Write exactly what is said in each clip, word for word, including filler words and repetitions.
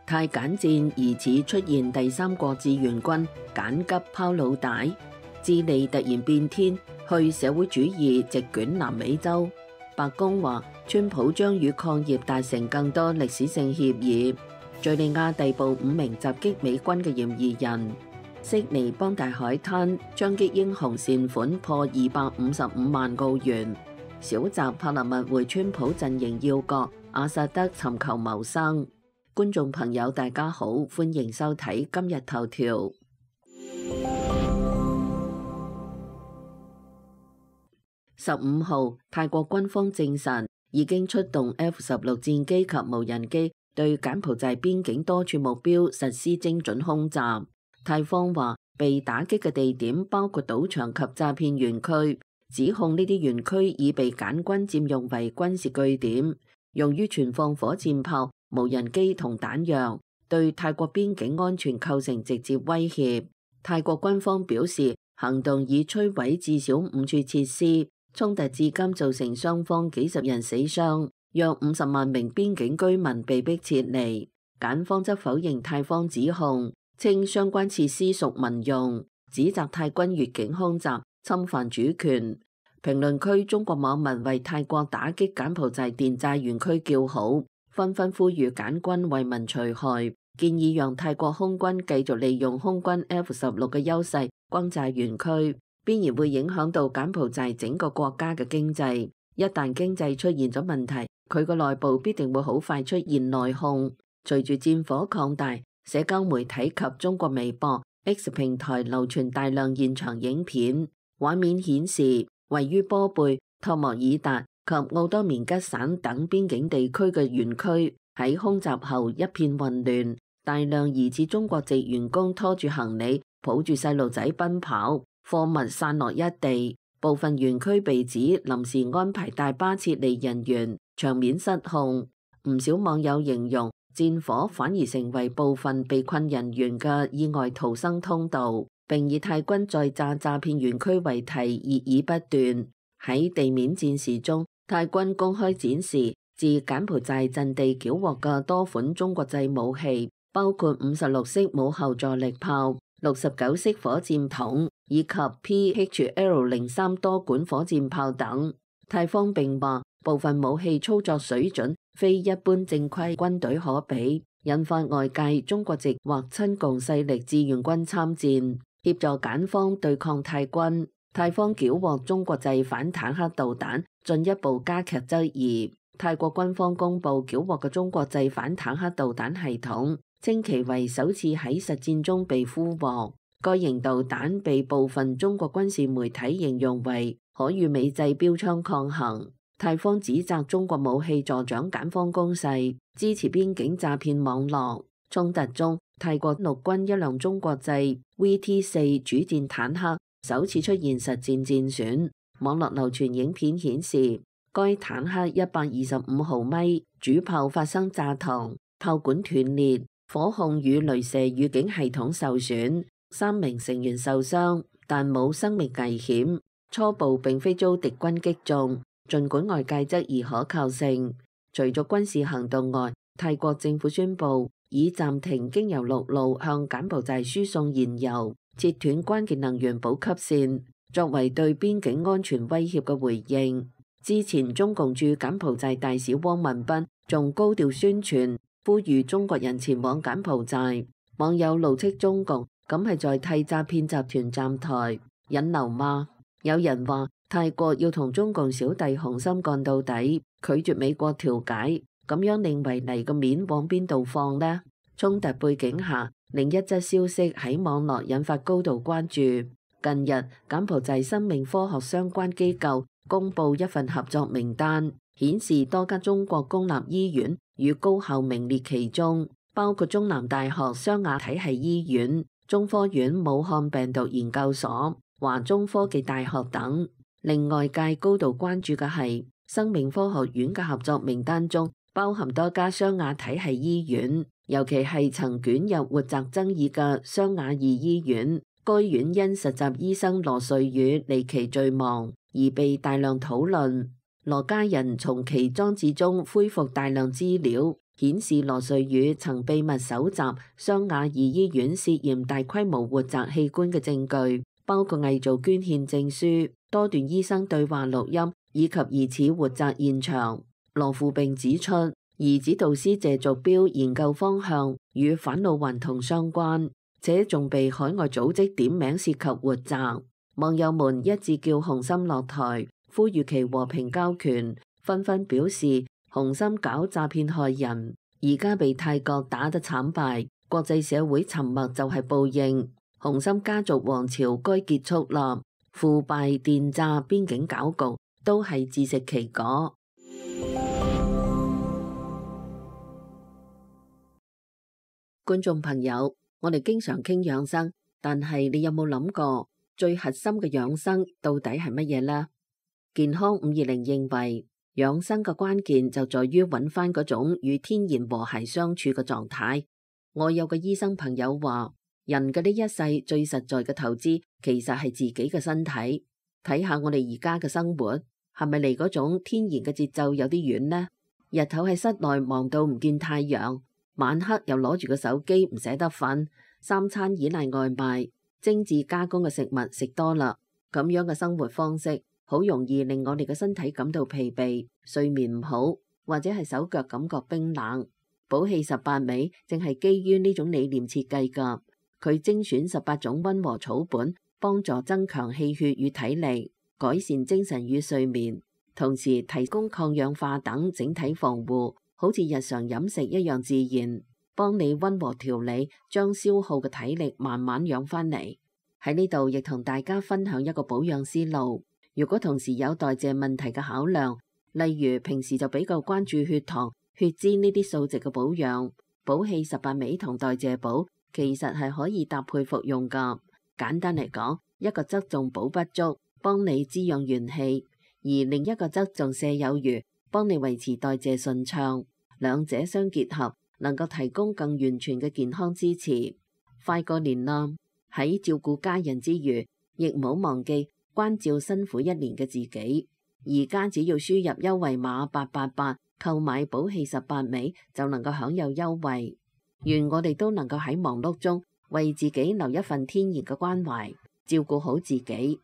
泰柬戰疑似出現第三國志願軍緊急拋腦帶，智利突然變天，去社會主義席捲南美洲。白宮話，川普將與礦業達成更多歷史性協議。敘利亞逮捕五名襲擊美軍嘅嫌疑人。悉尼邦大海灘槍擊英雄善款破二百五十五萬澳元。小澤帕勒密回川普陣營要角，阿薩德尋求謀生。觀眾朋友大家好，歡迎收睇今日頭條。十五號，泰國軍方證實已經出動 F 十六戰機及無人機對柬埔寨邊境多處目標實施精準空襲。泰方話被打擊嘅地點包括賭場及詐騙園區，指控呢啲園區已被柬軍佔用為軍事據點，用於存放火箭炮、無人機同彈藥，對泰國邊境安全構成直接威脅。泰國軍方表示，行動已摧毀至少五處設施，衝突至今造成雙方幾十人死傷，約五十萬名邊境居民被迫撤離。柬方則否認泰方指控，稱相關設施屬民用，指責泰軍越境空襲侵犯主權。評論區中國網民為泰國打擊柬埔寨電債園區叫好，紛紛呼籲柬軍為民除害，建議讓泰國空軍繼續利用空軍 F 十六嘅優勢轟炸園區，必然會影響到柬埔寨整個國家嘅經濟。一旦經濟出現咗問題，佢個內部必定會好快出現內訌。隨住戰火擴大，社交媒體及中國微博 X 平台流傳大量現場影片，畫面顯示位於波貝、托莫爾達及奧多棉吉省等邊境地區嘅園區喺空襲後一片混亂，大量疑似中國籍員工拖住行李，抱住細路仔奔跑，貨物散落一地，部分園區被指臨時安排大巴撤離人員，場面失控。唔少網友形容戰火反而成為部分被困人員嘅意外逃生通道，並以泰軍在炸詐騙園區為題熱議不斷。喺地面戰事中，泰軍公開展示自柬埔寨陣地繳獲嘅多款中國製武器，包括五十六式母後坐力炮、六十九式火箭筒以及 P H L 零三多管火箭炮等。泰方並話部分武器操作水準非一般正規軍隊可比，引發外界中國籍或親共勢力志願軍參戰，協助柬方對抗泰軍。泰方繳獲中國製反坦克導彈，進一步加劇質疑。泰國軍方公佈繳獲嘅中國製反坦克導彈系統，稱其為首次喺實戰中被俘獲。該型導彈被部分中國軍事媒體形容為可與美製標槍抗衡。泰方指責中國武器助長柬方攻勢，支持邊境詐騙網絡。衝突中，泰國陸軍一輛中國製 V T 四主戰坦克首次出現實戰戰損。網絡流傳影片顯示，該坦克一百二十五毫米主炮發生炸膛，炮管斷裂，火控與雷射預警系統受損，三名成員受傷，但冇生命危險。初步並非遭敵軍擊中，儘管外界質疑可靠性。除咗軍事行動外，泰國政府宣布已暫停經由陸路向柬埔寨輸送燃油，切斷關鍵能源補給線，作為對邊境安全威脅嘅回應。之前中共駐柬埔寨大使汪文斌仲高調宣傳，呼籲中國人前往柬埔寨。網友怒斥中共咁係在替詐騙集團站台引流嗎？有人話泰國要同中共小弟雄心幹到底，拒絕美國調解，咁樣認為嚟個面往邊度放呢？衝突背景下，另一則消息喺網絡引發高度關注。近日，柬埔寨生命科學相關機構公布一份合作名單，顯示多家中國公立醫院與高校名列其中，包括中南大學湘雅體系醫院、中科院武漢病毒研究所、華中科技大學等。令外界高度關注嘅係，生命科學院嘅合作名單中包含多家湘雅體系醫院，尤其係曾捲入活摘爭議嘅湘雅二醫院。該院因實習醫生羅瑞宇離奇墜亡而被大量討論。羅家人從其裝置中恢復大量資料，顯示羅瑞宇曾秘密搜集湘雅二醫院涉嫌大規模活摘器官嘅證據，包括偽造捐獻證書、多段醫生對話錄音以及疑似活摘現場。羅富並指出，兒子導師謝續標研究方向與返老還童相關，且仲被海外組織點名涉及活摘。網友們一致叫洪森落台，呼籲其和平交權，紛紛表示洪森搞詐騙害人，而家被泰國打得慘敗，國際社會沉默就係報應。洪森家族王朝該結束啦，腐敗、電詐、邊境搞局都係自食其果。觀眾朋友，我哋經常傾養生，但係你有冇諗過最核心嘅養生到底係乜嘢呢？健康五二零認為，養生嘅關鍵就在於揾翻嗰種與天然和諧相處嘅狀態。我有個醫生朋友話，人嘅呢一世最實在嘅投資其實係自己嘅身體。睇下我哋而家嘅生活，係咪離嗰種天然嘅節奏有啲遠呢？日頭喺室內忙到唔見太陽，晚黑又攞住個手機唔捨得瞓，三餐依賴外賣，精緻加工嘅食物食多啦，咁樣嘅生活方式好容易令我哋嘅身體感到疲憊，睡眠唔好，或者係手腳感覺冰冷。補氣十八味正係基於呢種理念設計㗎，佢精選十八種溫和草本，幫助增強氣血與體力，改善精神與睡眠，同時提供抗氧化等整體防護，好似日常飲食一樣自然，幫你溫和調理，將消耗嘅體力慢慢養翻嚟。喺呢度亦同大家分享一個保養思路。如果同時有代謝問題嘅考量，例如平時就比較關注血糖、血脂呢啲數值嘅保養，補氣十八味同代謝補其實係可以搭配服用㗎。簡單嚟講，一個側重補不足，幫你滋養元氣，而另一個側重瀉有餘，幫你維持代謝順暢。兩者相結合，能夠提供更完全嘅健康支持。快過年啦，喺照顧家人之餘，亦唔好忘記關照辛苦一年嘅自己。而家只要輸入優惠碼八八八，購買補氣十八味就能夠享有優惠。願我哋都能夠喺忙碌中為自己留一份天然嘅關懷，照顧好自己。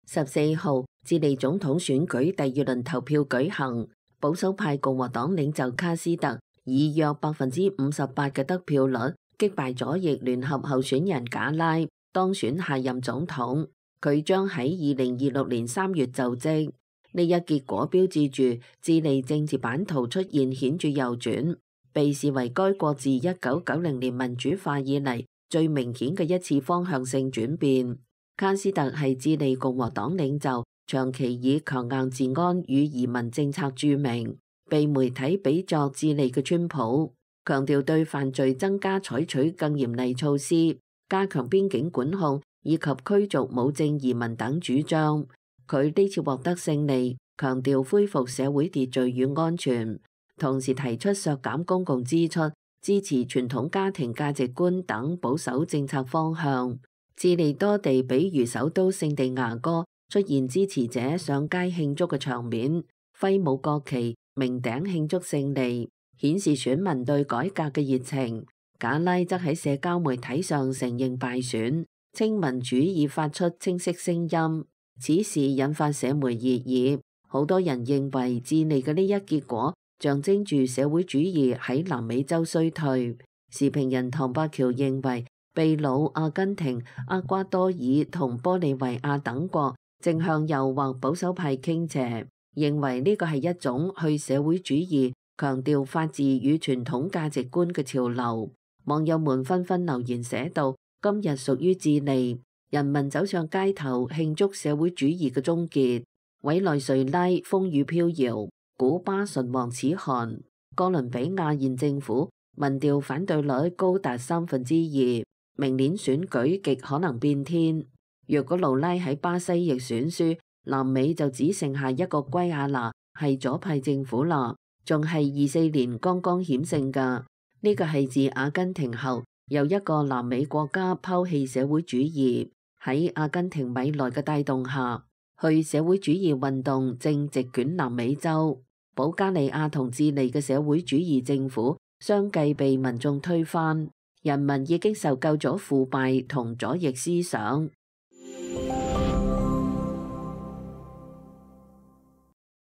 十四號，智利總統選舉第二輪投票舉行，保守派共和黨領袖卡斯特以約百分之五十八嘅得票率擊敗左翼聯合候選人賈拉，當選下任總統。佢將喺二零二六年三月就職。呢一結果標誌住智利政治版圖出現顯著右轉，被視為該國自一九九零年民主化以嚟最明顯嘅一次方向性轉變。卡斯特係智利共和黨領袖，長期以強硬治安與移民政策著名，被媒體比作智利嘅川普，強調對犯罪增加採取更嚴厲措施，加強邊境管控以及驅逐無證移民等主張。佢呢次獲得勝利，強調恢復社會秩序與安全，同時提出削減公共支出、支持傳統家庭價值觀等保守政策方向。智利多地比如首都聖地牙哥出現支持者上街慶祝嘅場面，揮舞國旗、鳴笛慶祝勝利，顯示選民對改革嘅熱情。賈拉則喺社交媒體上承認敗選，稱民主已發出清晰聲音。此事引發社媒熱議，好多人認為智利嘅呢一結果象徵住社會主義喺南美洲衰退。時評人唐伯橋認為，秘魯、阿根廷、厄瓜多爾同玻利維亞等國正向右或保守派傾斜，認為呢個係一種去社會主義、強調法治與傳統價值觀嘅潮流。網友們紛紛留言寫道：今日屬於智利，人民走上街頭慶祝社會主義嘅終結。委內瑞拉風雨飄搖，古巴唇亡齒寒，哥倫比亞現政府民調反對率高達三分之二。明年選舉極可能變天。若果盧拉喺巴西亦選輸，南美就只剩下一個圭亞那係左派政府啦，仲係二四年剛剛險勝噶。呢個係自阿根廷後又一個南美國家拋棄社會主義。喺阿根廷米萊嘅帶動下，去社會主義運動正席捲南美洲，保加利亞同智利嘅社會主義政府相繼被民眾推翻，人民已經受夠咗腐敗同左翼思想。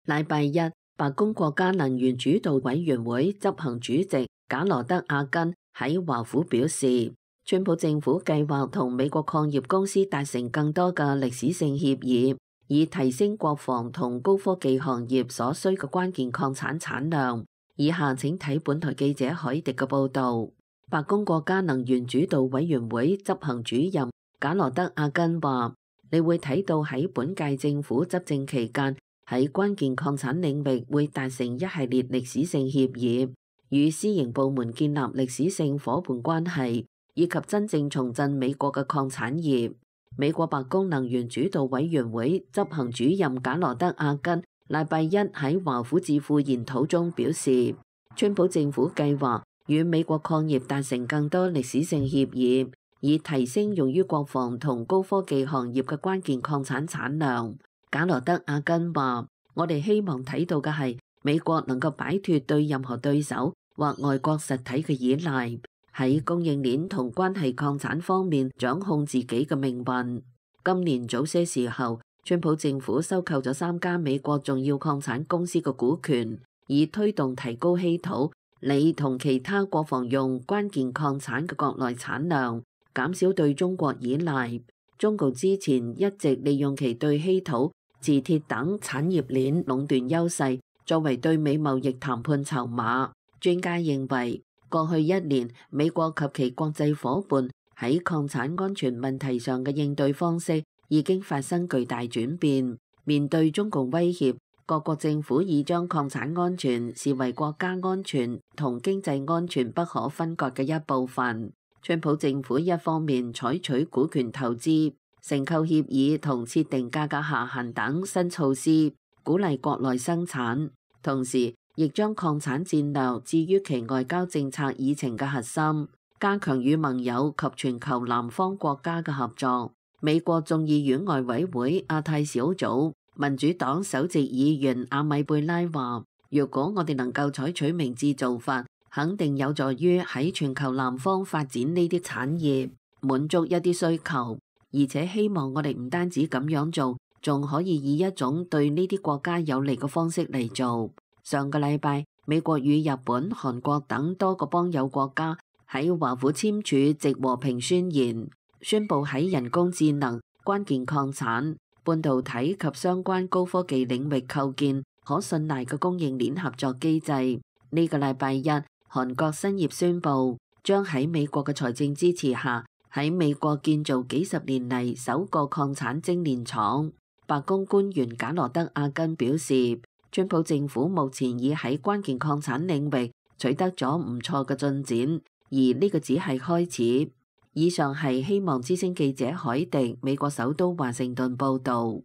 禮拜一，白宮國家能源主導委員會執行主席賈羅德·阿根喺華府表示，川普政府計劃同美國礦業公司達成更多嘅歷史性協議，以提升國防同高科技行業所需嘅關鍵礦產產量。以下請睇本台記者海迪嘅報導。白宮國家能源主導委員會執行主任賈羅德·阿根話：你會睇到喺本屆政府執政期間，喺關鍵礦產領域會達成一系列歷史性協議，與私營部門建立歷史性夥伴關係，以及真正重振美國嘅礦產業。美國白宮能源主導委員會執行主任賈羅德·阿根禮拜一喺華府智庫研討中表示，川普政府計劃與美國礦業達成更多歷史性協議，以提升用於國防同高科技行業嘅關鍵礦產產量。賈羅德·阿根話：我哋希望睇到嘅係美國能夠擺脫對任何對手或外國實體嘅依賴，喺供應鏈同關係礦產方面掌控自己嘅命運。今年早些時候，川普政府收購咗三家美國重要礦產公司嘅股權，以推動提高稀土、鋰同其他國防用關鍵礦產嘅國內產量，減少對中國依賴。中共之前一直利用其對稀土、磁鐵等產業鏈壟斷優勢，作為對美貿易談判籌碼。專家認為，過去一年美國及其國際夥伴喺礦產安全問題上嘅應對方式已經發生巨大轉變。面對中共威脅，各國政府已將礦產安全視為國家安全同經濟安全不可分割嘅一部分。川普政府一方面採取股權投資、承購協議同設定價格下限等新措施，鼓勵國內生產，同時亦將礦產戰略置於其外交政策議程嘅核心，加強與盟友及全球南方國家嘅合作。美國眾議院外委會亞太小組民主黨首席議員阿米貝拉話：若果我哋能夠採取明智做法，肯定有助於喺全球南方發展呢啲產業，滿足一啲需求。而且希望我哋唔單止咁樣做，仲可以以一種對呢啲國家有利嘅方式嚟做。上個禮拜，美國與日本、韓國等多個邦友國家喺華府簽署藉和平宣言，宣布喺人工智能、關鍵礦產、半導體及相關高科技領域構建可信賴嘅供應鏈合作機制。呢個禮拜一，韓國新業宣布將喺美國嘅財政支持下，喺美國建造幾十年嚟首個礦產精煉廠。白宮官員賈羅德·阿根表示，川普政府目前已喺關鍵礦產領域取得咗唔錯嘅進展，而呢個只係開始。以上係希望之聲記者海迪美國首都華盛頓報導。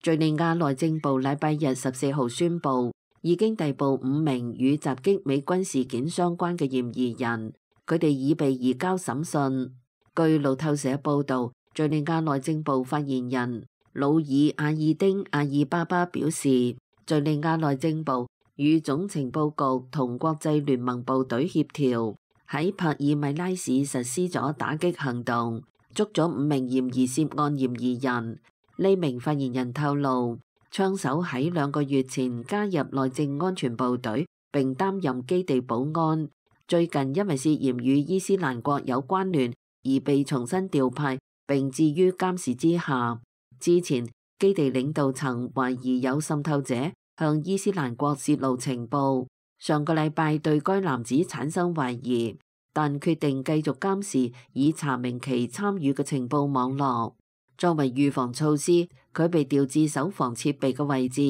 敘利亞內政部禮拜日十四號宣布，已經逮捕五名與襲擊美軍事件相關嘅嫌疑人，佢哋已被移交審訊。據路透社報導，敘利亞內政部發言人魯爾阿爾丁阿爾巴巴表示，敘利亞內政部與總情報局同國際聯盟部隊協調，喺帕爾米拉市實施咗打擊行動，捉咗五名嫌疑涉案嫌疑人。呢名發言人透露，槍手喺兩個月前加入內政安全部隊並擔任基地保安，最近因為涉嫌與伊斯蘭國有關聯而被重新調派並置於監視之下。之前基地領導層懷疑有滲透者向伊斯蘭國泄露情報，上個禮拜對該男子產生懷疑，但決定繼續監視以查明其參與嘅情報網絡。作為預防措施，佢被調至守防設備嘅位置，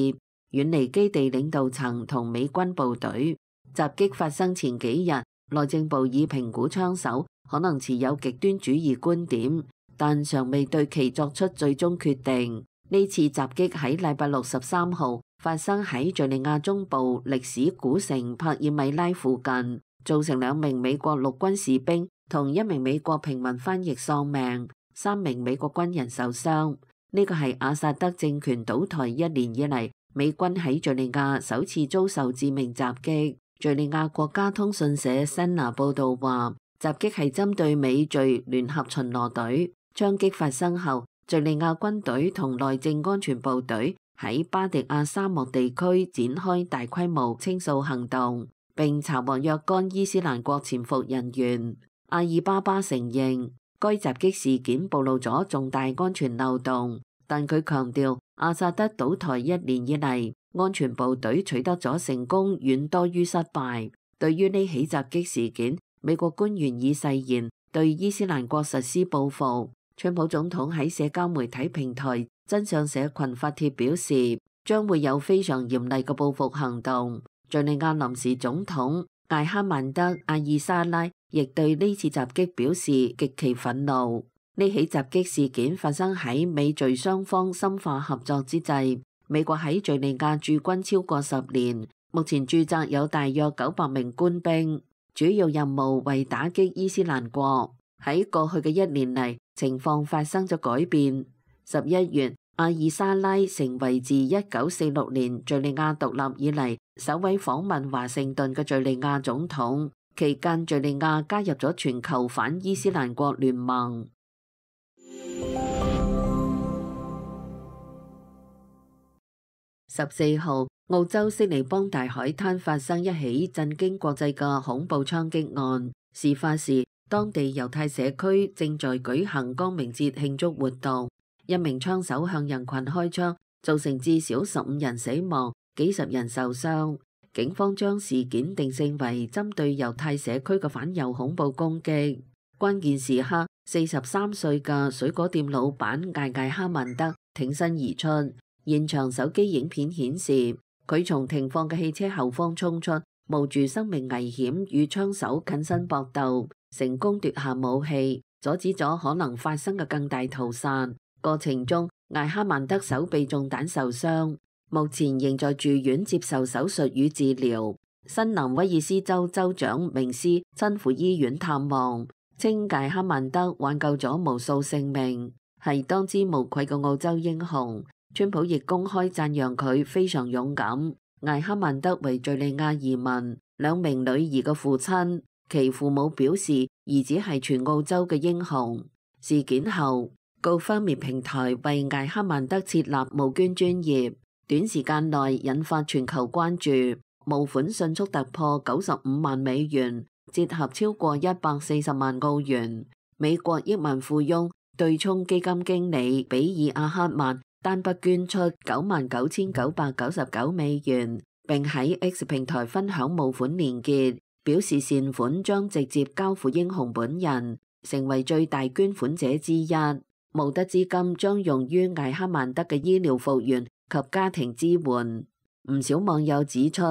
遠離基地領導層同美軍部隊。襲擊發生前幾日，內政部已評估槍手可能持有極端主義觀點，但尚未對其作出最終決定。呢次襲擊喺禮拜六十三號發生喺敘利亞中部歷史古城帕爾米拉附近，造成兩名美國陸軍士兵同一名美國平民翻譯喪命，三名美國軍人受傷。呢個係阿薩德政權倒台一年以嚟，美軍喺敘利亞首次遭受致命襲擊。敘利亞國家通訊社 S A N A 報導話，襲擊係針對美敘聯合巡邏隊。槍擊發生後，敘利亞軍隊同內政安全部隊喺巴迪亞沙漠地區展開大規模清掃行動，並查獲若干伊斯蘭國潛伏人員。阿爾巴巴承認該襲擊事件暴露咗重大安全漏洞，但佢強調阿薩德倒台一年以嚟，安全部隊取得咗成功遠多於失敗。對於呢起襲擊事件，美國官員已誓言對伊斯蘭國實施報復。川普總統喺社交媒體平台真相社群發帖表示，將會有非常嚴厲嘅報復行動。敘利亞臨時總統艾哈曼德·阿爾沙拉亦對呢次襲擊表示極其憤怒。呢起襲擊事件發生喺美敘雙方深化合作之際。美國喺敘利亞駐軍超過十年，目前駐紮有大約九百名官兵，主要任務為打擊伊斯蘭國。喺過去嘅一年嚟，情況發生咗改變。十一月，阿爾沙拉成為自一九四六年敘利亞獨立以嚟首位訪問華盛頓嘅敘利亞總統。期間，敘利亞加入咗全球反伊斯蘭國聯盟。十四號，澳洲悉尼邦大海灘發生一起震驚國際嘅恐怖槍擊案。事發時，當地猶太社區正在舉行光明節慶祝活動，一名槍手向人群開槍，造成至少十五人死亡，幾十人受傷。警方將事件定性為針對猶太社區嘅反猶恐怖攻擊。關鍵時刻，四十三歲嘅水果店老闆艾艾哈曼德挺身而出。現場手機影片顯示，佢從停放嘅汽車後方衝出，冒住生命危險與槍手近身搏鬥，成功奪下武器，阻止咗可能發生嘅更大屠殺。過程中，艾哈曼德手臂中彈受傷，目前仍在住院接受手術與治療。新南威爾斯州州長明斯親赴醫院探望，稱艾哈曼德挽救咗無數性命，係當之無愧嘅澳洲英雄。川普亦公開讚揚佢非常勇敢。艾哈曼德為敘利亞移民，兩名女兒嘅父親，其父母表示兒子係全澳洲嘅英雄。事件後，GoFundMe平台為艾哈曼德設立募捐專頁，短時間內引發全球關注，募款迅速突破九十五萬美元，折合超過一百四十萬澳元。美國億萬富翁對沖基金經理比爾阿克曼單筆捐出九萬九千九百九十九美元，並喺 X 平台分享募款連結，表示善款將直接交付英雄本人，成為最大捐款者之一。募得資金將用於艾哈曼德嘅醫療復原及家庭支援。唔少網友指出，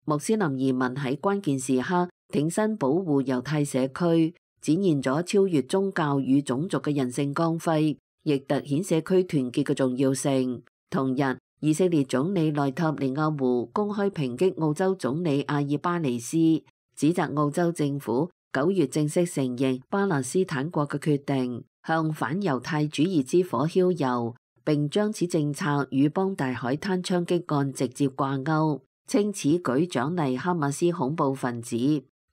穆斯林移民喺關鍵時刻挺身保護猶太社區，展現咗超越宗教與種族嘅人性光輝，亦突顯社區團結嘅重要性。同日，以色列總理內塔尼亞胡公開抨擊澳洲總理阿爾巴尼斯，指責澳洲政府九月正式承認巴勒斯坦國嘅決定，向反猶太主義之火澆油，並將此政策與邦大海灘槍擊案直接掛鈎，稱此舉獎勵哈馬斯恐怖分子，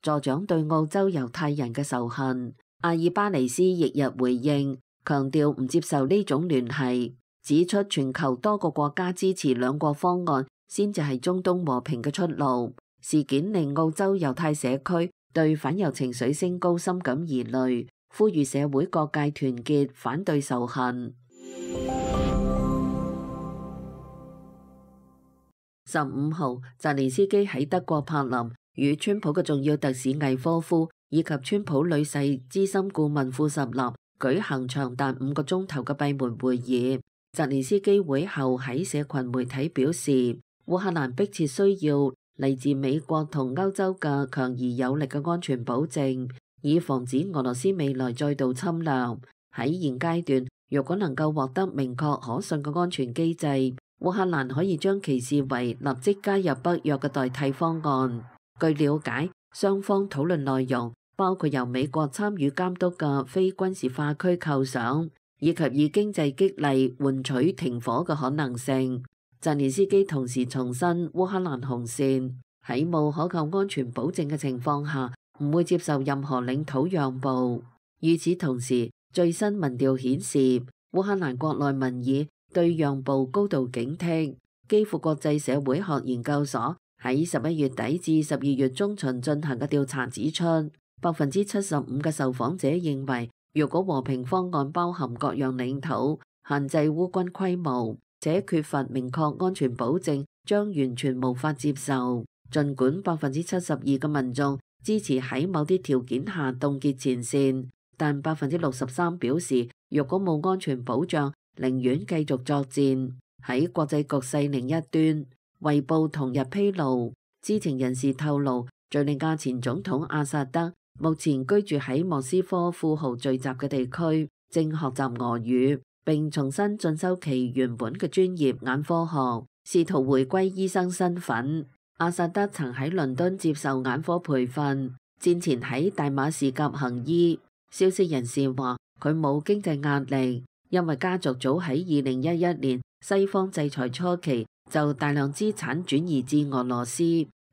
助長對澳洲猶太人嘅仇恨。阿爾巴尼斯翌日回應，強調唔接受呢種聯繫，指出全球多個國家支持兩國方案先至係中東和平嘅出路。事件令澳洲猶太社區對反猶情緒升高深感疑慮，呼籲社會各界團結反對仇恨。十五號，澤連斯基喺德國柏林與川普嘅重要特使魏科夫以及川普女婿資深顧問庫什納舉行長達五個鐘頭嘅閉門會議。澤連斯基會後喺社群媒體表示，烏克蘭迫切需要嚟自美國同歐洲嘅強而有力嘅安全保證，以防止俄羅斯未來再度侵略。喺現階段，若果能夠獲得明確可信嘅安全機制，烏克蘭可以將其視為立即加入北約嘅代替方案。據了解，雙方討論內容包括由美國參與監督嘅非軍事化區構想，以及以經濟激勵換取停火嘅可能性。澤連斯基同時重申烏克蘭紅線，喺冇可靠安全保證嘅情況下，唔會接受任何領土讓步。與此同時，最新民調顯示，烏克蘭國內民意對讓步高度警惕。基輔國際社會學研究所喺十一月底至十二月中旬進行嘅調查指出，百分之七十五嘅受訪者認為，若果和平方案包含各樣領土、限制烏軍規模，且缺乏明確安全保證，將完全無法接受。儘管百分之七十二嘅民眾支持喺某啲條件下凍結前線，但百分之六十三表示，若果冇安全保障，寧願繼續作戰。喺國際局勢另一端，《衛報》同日披露，知情人士透露，敘利亞前總統阿薩德目前居住喺莫斯科富豪聚集嘅地區，正學習俄語，並重新進修其原本嘅專業眼科學，試圖回歸醫生身份。阿薩德曾喺倫敦接受眼科培訓，戰前喺大馬士革行醫。消息人士話，佢冇經濟壓力，因為家族早喺二零一一年西方制裁初期就大量資產轉移至俄羅斯。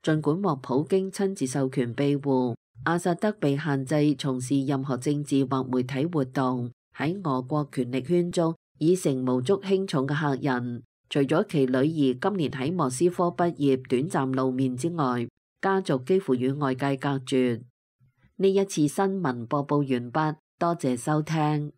儘管獲普京親自授權庇護，阿薩德被限制從事任何政治或媒體活動，喺俄國權力圈中已成無足輕重嘅客人。除咗其女兒今年喺莫斯科畢業短暫露面之外，家族幾乎與外界隔絕。呢一次新聞播報完畢，多謝收聽。